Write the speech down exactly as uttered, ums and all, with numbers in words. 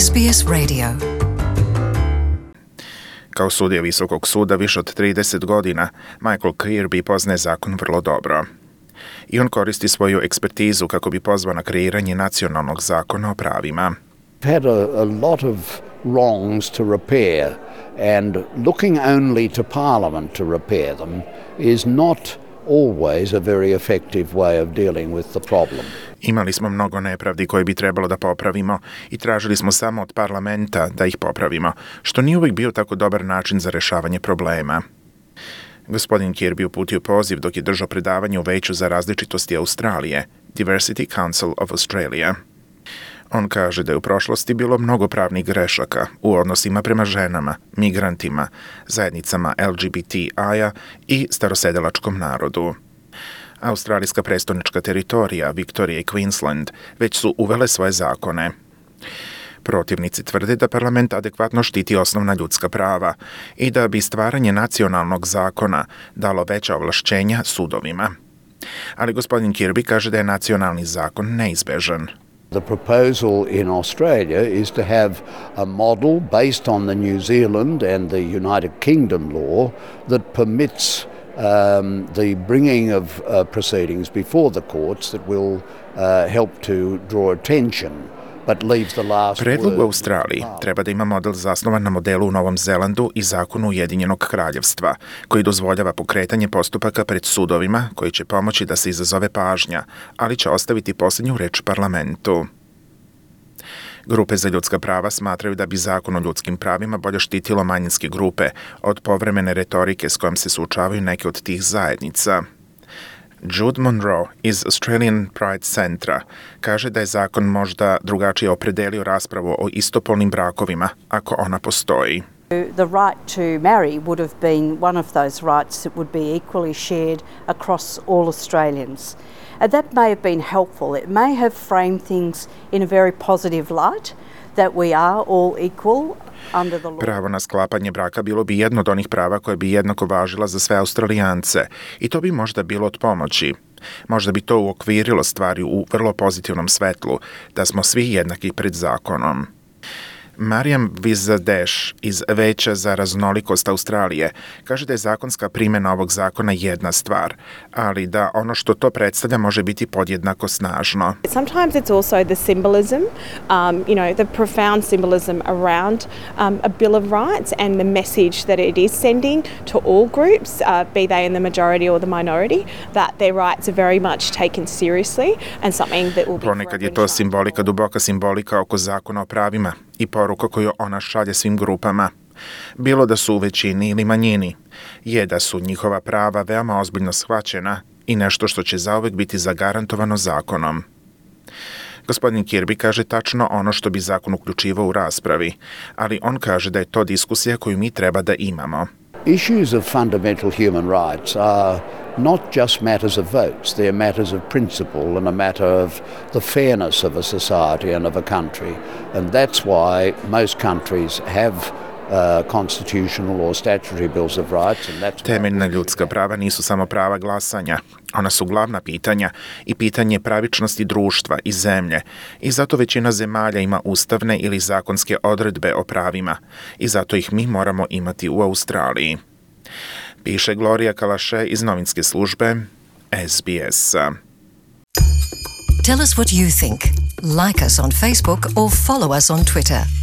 S B S Radio. Kao sudija Visokog suda više od trideset godina, Michael Kirby poznaje zakon vrlo dobro. I on koristi svoju ekspertizu kako bi pozvao na kreiranje nacionalnog zakona o pravima. Had a, a lot of wrongs to repair, and looking only to Parliament to repair them is not always a very effective way of dealing with the problem. Imali smo mnogo nepravdi koje bi trebalo da popravimo i tražili smo samo od parlamenta da ih popravimo, što nije uvijek bio tako dobar način za rešavanje problema. Gospodin Kirby uputio poziv dok je držao predavanje u Veću za različitosti Australije, Diversity Council of Australia. On kaže da je u prošlosti bilo mnogo pravnih grešaka u odnosima prema ženama, migrantima, zajednicama L G B T I-a i starosedelačkom narodu. Australijska prestonička teritorija, Viktorija i Queensland, već su uvele svoje zakone. Protivnici tvrde da parlament adekvatno štiti osnovna ljudska prava i da bi stvaranje nacionalnog zakona dalo veća ovlašćenja sudovima. Ali gospodin Kirby kaže da je nacionalni zakon neizbežan. The proposal in Australia is to have a model based on the New Zealand and the United Kingdom law that permits um, the bringing of uh, proceedings before the courts that will uh, help to draw attention. Predlog u Australiji treba da ima model zasnovan na modelu u Novom Zelandu i zakonu Ujedinjenog kraljevstva, koji dozvoljava pokretanje postupaka pred sudovima, koji će pomoći da se izazove pažnja, ali će ostaviti posljednju reč parlamentu. Grupe za ljudska prava smatraju da bi zakon o ljudskim pravima bolje štitilo manjinske grupe od povremene retorike s kojom se suočavaju neke od tih zajednica. Jude Monroe iz Australian Pride Centra kaže da je zakon možda drugačije opredelio raspravu o istopolnim brakovima, ako ona postoji. The right to marry would have been one of those rights that would be equally shared across all Australians. And that may have been helpful. It may have framed things in a very positive light, that we are all equal. Pravo na sklapanje braka bilo bi jedno od onih prava koje bi jednako važila za sve Australijance i to bi možda bilo od pomoći. Možda bi to uokvirilo stvari u vrlo pozitivnom svetlu, da smo svi jednaki pred zakonom. Marijam Vizadeš iz Veća za raznolikost Australije kaže da je zakonska primjena ovog zakona jedna stvar, ali da ono što to predstavlja može biti podjednako snažno. Sometimes it's also the symbolism, um, you know, the profound symbolism around um, a Bill of Rights and the message that it is sending to all groups, uh, be they in the majority or the minority, that their rights are very much taken seriously and something that will be... Ponekad je to simbolika, duboka simbolika oko zakona o pravima i poruka koju ona šalje svim grupama. Bilo da su u većini ili manjini, je da su njihova prava veoma ozbiljno shvaćena i nešto što će zauvek biti zagarantovano zakonom. Gospodin Kirby kaže tačno ono što bi zakon uključivao u raspravi, ali on kaže da je to diskusija koju mi treba da imamo. Issues of fundamental human rights are not just matters of votes, they are matters of principle and a matter of the fairness of a society and of a country. And that's why most countries have uh, constitutional or statutory bills of rights. And that's Temeljna ljudska prava nisu samo prava glasanja. Ona su glavna pitanja i pitanje pravičnosti društva i zemlje. I zato većina zemalja ima ustavne ili zakonske odredbe o pravima. I zato ih mi moramo imati u Australiji. Piše Gloria Kalaše iz novinske službe S B S. Tell us what you think. Like us on Facebook or follow us on Twitter.